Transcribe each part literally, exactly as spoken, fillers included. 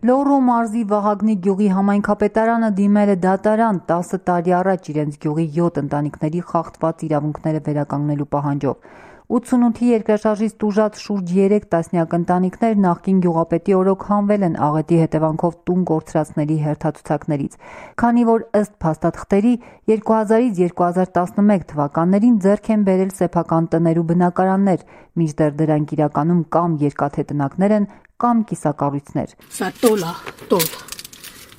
Լոռու մարզի Վահագնի գյուղի համայնքապետարանը դիմել է դատարան տասը տարի առաջ իրենց գյուղի յոթ ընտանիքների խախտված իրավունքները վերականգնելու պահանջով։ ութսունութի երկրաշարժից տուժած շուրջ երեք տասնյակ ընտանիքներ նախկին գյուղապետի օրոք հանվել են աղետի հետևանքով տուն կորցրածների հերթացուցակներից, քանի որ ըստ փաստաթղթերի երկու հազարից երկու հազար տասնմեկ թվականներին ձեռք են բերել սեփական տներ ու բնակարաններ, մինչդեռ դրանք իրականում կամ երկաթե տնակներ են, կամ կիսակառույցներ։ Սա տոլա, տոլ,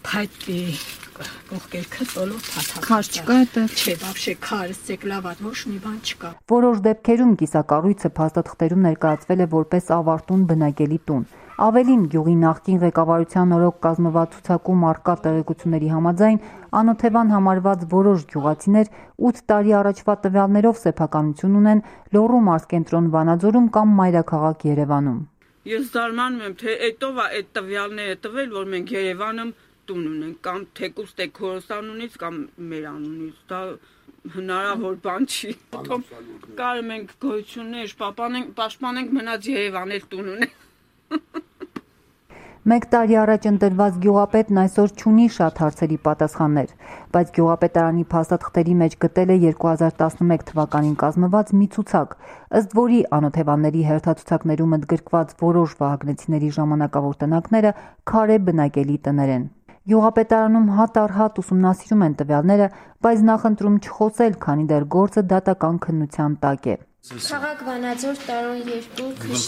փայտի կողքերքը տոլով փաթաթ։ Քար չկա այդտեղ։ Չէ, вообще քար, ստեկլավատ ոչ մի բան չկա։ Որոշ դեպքերում կիսակառույցը փաստաթղթերում ներկայացվել է որպես ավարտուն բնակելի տուն։ Ավելին, գյուղի նախկին ղեկավարության օրոք կազմված ցուցակում առկա տեղեկությունների համաձայն անօթևան համարված որոշ գյուղացիներ ութ տարի առաջվա տվյալներով սեփականություն ունեն Լոռու մարզկենտրոն Վանաձորում կամ մայրաքաղաք Երևանում։ Ես զարմանում եմ, թե այդով է այդ տվյալները տվել, որ մենք Երևանում տուն ունենք, կամ թեկուզ տե քորոս անունից, կամ մեր անունից, դա հնարավոր բան չի։ Կարում ենք գոյություններ, պաշտպանենք մնաց Երևան էլ տուն ունենք։ Մեկ տարի առաջ ընտրված գյուղապետն այսօր չունի շատ հարցերի պատասխաններ, բայց գյուղապետարանի փաստաթղթերի մեջ գտել է երկու հազար տասնմեկ թվականին կազմված մի ցուցակ, ըստ որի անօթևանների հերթացուցակներում ընդգրկված որոշ վահագնեցիների ժամանակավոր տնակները քարե բնակելի տներ են։ Գյուղապետարանում հատ առ հատ ուսումնասիրում են տվյալները, բայց նախընտրում չխոսել, քանի դեռ գործը դատական քննության տակ է։ Քաղաք Վանաձոր տարոն երկու քշ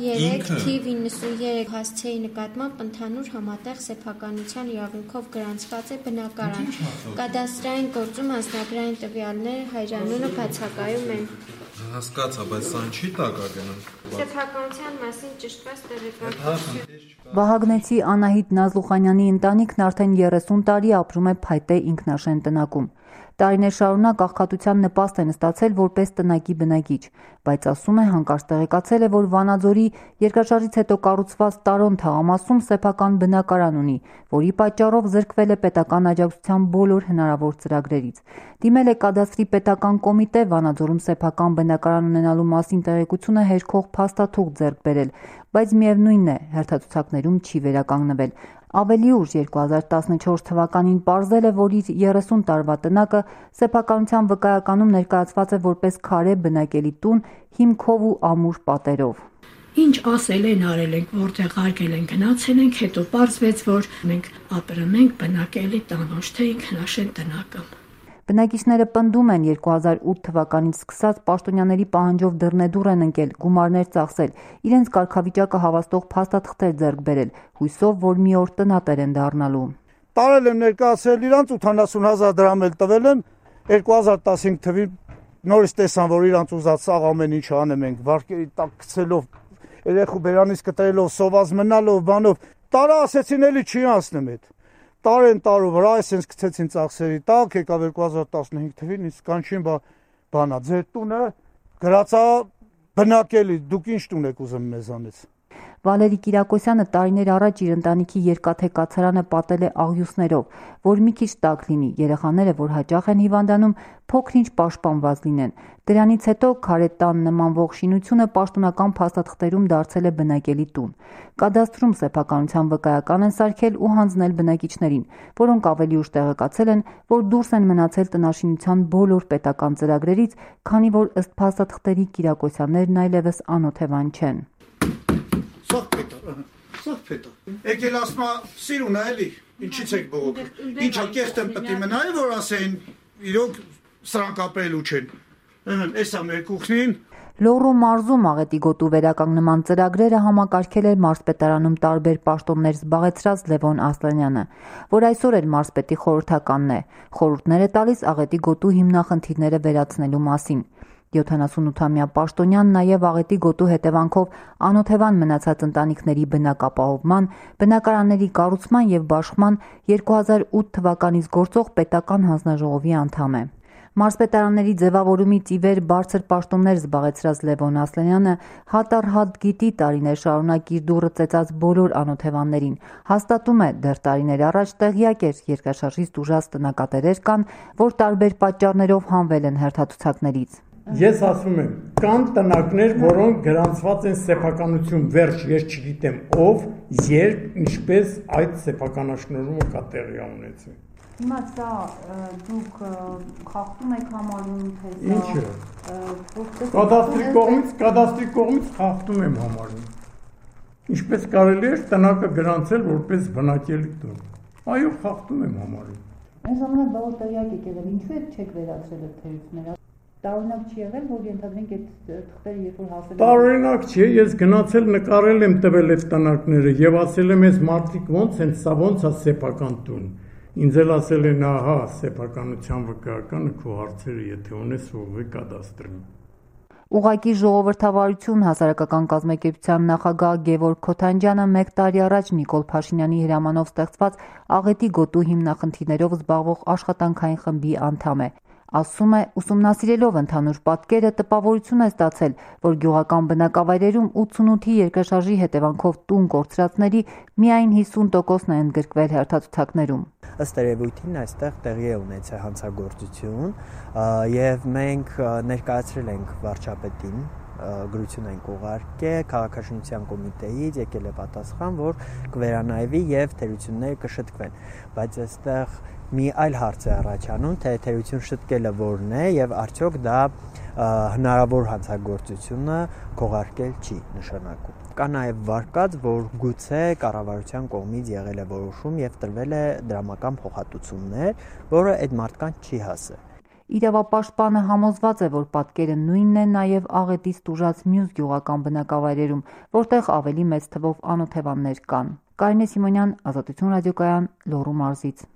երեք թիվ իննսուններեք հասցեի նկատմամբ ընդհանուր համատեղ սեփականության իրավունքով գրանցված է բնակարան։ Կադաստրային գործում անձնագրային տվյալները հայրանունը բացակայում են։ Հասկացա, բայց սան չի տակագնում։ Սեփականության մասին ճշտված տեղեկատվություն։ Վահագնեցի Անահիտ Նազլուխանյանի ընտանիքն արդեն երեսուն տարի ապրում է փայտե ինքնաշեն տնակում։ Տարիներ շարունակ աղքատության նպաստ են ստացել որպես տնակի բնակիչ, բայց ասում է հանկարծ տեղեկացել է, որ Վանաձորի երկրաշարժից հետո կառուցված Տարոն թաղամասում սեփական բնակարան ունի, որի պատճառով զրկվել է պետական աջակցության բոլոր հնարավոր ծրագրերից։ Դիմել է կադաստրի պետական կոմիտե Վանաձորում սեփական բնակարան ունենալու մասին տեղեկությունը հերքող փաստաթուղթ ձեռք բերել, բայց միևնույնն է, հերթացուցակներում չի վերականգնվել։ Ավելի ուշ երկու հազար տասնչորս թվականին պարզել է, որ իր երեսուն տարվա տնակը սեփականության վկայականում ներկայացված է որպես քարե բնակելի տուն հիմքով ու ամուր պատերով։ Ինչ ասել են, արել ենք, որտեղ արկել են, գնացել ենք, հետո պարզվեց, որ մենք ապրում ենք բնակելի տան, ոչ թե ինքնաշեն տնակը։ Բնակիչները պնդում են երկու հազար ութ թվականից սկսած պաշտոնյաների պահանջով դռնեդուռ են ընկել, գումարներ ծախսել, իրենց կարգավիճակը հավաստող փաստաթղթեր ձեռք բերել, հույսով, որ մի օր տնատեր են դառնալու։ Տարել եմ ներկայացրել իրանց ութանասուն հազար դրամ էլ տվել եմ, երկու հազար տասնհինգ թվին նորից տեսան, որ իրանց ուզած սաղ ամեն ինչ անեմ ենք, վարկերի տակ գցելով, երեխու բերանից կտրելով, սոված մնալով, բանով, տարա ասեցին էլի չի անցնեմ հետ։ Տարեն տարու վրա այսպես գցեցին ծախսերի տակ, եկավ երկու հազար տասնհինգ թվին, իսկ կանչին բանա, ձեր տունը գրածա բնակելի, դուք ինչ տուն եք ուզում մեզանից։ Վալերի Կիրակոսյանը տարիներ առաջ իր ընտանիքի երկաթե կացարանը պատել է աղյուսներով, որ մի քիչ տաք լինի, երեխաները, որ հաճախ են հիվանդանում, փոքր-ինչ պաշտպանված լինեն։ Դրանից հետո քարե տան նմանվող շինությունը պաշտոնական փաստաթղթերում դարձել է բնակելի տուն։ Կադաստրում սեփականության վկայական են սարքել ու հանձնել բնակիչներին, որոնք ավելի ուշ տեղեկացել են, որ դուրս են մնացել տնաշինության բոլոր պետական ծրագրերից, քանի որ ըստ փաստաթղթերի Կիրակոսյաններն այլևս անօթևան չեն։ Սաղ պետա, սաղ պետա։ Եկել ասմա սիրուն է էլի, ինչից եք բողոքում։ Ինչա կեղտեմ պտի մնայ, որ ասեին իրոք սրանք ապրելու չեն։ Էսա մեր կուխնին։ Լոռու մարզում աղետի գոտու վերականգնման ծրագրերը համակարգել է մարզպետարանում տարբեր պաշտոններ զբաղեցրած Լևոն Ասլանյանը, որ այսօր էլ մարզպետի խորհրդականն է, խորհուրդներ է տալիս աղետի գոտու հիմնախնդիրները վերացնելու մասին։ յոթանասունութամյա պաշտոնյան նաև աղետի գոտու հետևանքով անօթևան մնացած ընտանիքների բնակապահովման, բնակարանների կառուցման և բաշխման երկու հազար ութ թվականից գործող պետական հանձնաժողովի անդամ է։ Մարզպետարանների ձևավորումից ի վեր բարձր պաշտոններ զբաղեցրած Լևոն Ասլանյանը հատ առ հատ գիտի տարիներ շարունակ իր դուռը ծեծած բոլոր անօթևաններին, հաստատում է դեռ տարիներ առաջ տեղյակ էր երկրաշարժից տուժած տնակատերեր կան, որ տարբեր պատճառներով հանվել են հերթացուցակներից։ Ես ասում եմ, կան տնակներ, որոնք գրանցված են սեփականություն վերջ, ես չգիտեմ ով, երբ, ինչպես այդ սեփականաշնորհումը կա տեղի ունեցել։ Հիմա սա դուք խախտում եք համարում, թե սա Ինչը։ Կադաստրի կողմից, կադաստրի կողմից խախտում եմ համարում։ Ինչպես կարելի է տնակը գրանցել որպես բնակելի տուն։ Այո, խախտում եմ համարում։ Այս ժամանակ բավական տեղյակ եք եղել, ինչու եք չեք վերացրել այդ թերությունները։ Տարօրինակ չի եղել, որ ենթադրենք այդ թղթերը երբ որ հասել են։ Տարօրինակ չի, ես գնացել նկարել եմ տվել այդ տնակները եւ ասել եմ, այս մարդիկ ոնց են, սա ոնց է սեփական տուն։ Ինձ էլ ասել են, ահա, սեփականության վկայականը քո հարցերը, եթե ունես, ուղղի կադաստրին։ Ուղղակի ժողովրդավարություն հասարակական կազմակերպության նախագահ Գևորգ Քոթանջյանը մեկ տարի առաջ Նիկոլ Փաշինյանի հրամանով ստեղծված Աղետի գոտու հիմնախնդիրներով զբաղվող աշխատանքային խմբի անդամ է։ Ասում է, ուսումնասիրելով ընդհանուր պատկերը տպավորություն է ստացել, որ գյուղական բնակավայրերում ութսունութի երկրաշարժի հետևանքով տուն կորցրածների միայն հիսուն տոկոսն է ընդգրկվել հերթացուցակներում։ Ըստ երևույթին այստեղ տեղի է ունեցել հանցագործություն եւ մենք ներկայացրել ենք վարչապետին, գրություն ենք ուղարկել քաղաքաշինության կոմիտեից, եկել է պատասխան, որ կվերանայվի եւ թերությունները կշտկվեն, բայց այստեղ մի այլ հարց է առաջանում, թե թերություն շտկելը որն է եւ արդյոք դա հնարավոր հանցագործությունը քողարկել չի նշանակում։ Կա նաև վարկած, որ գուցե կառավարության կողմից եղել է որոշում եւ տրվել է դրամական փոխհատուցումներ, որը այդ մարդկանց չի հասել։ Իրավապաշտպանը համոզված է, որ պատկերը նույնն է նաև Աղետից տուժած մյուս գյուղական բնակավայրերում, որտեղ ավելի մեծ թվով անօթևաններ կան։ Կարինե Սիմոնյան, Ազատություն ռադիոկայան, Լոռու մարզից։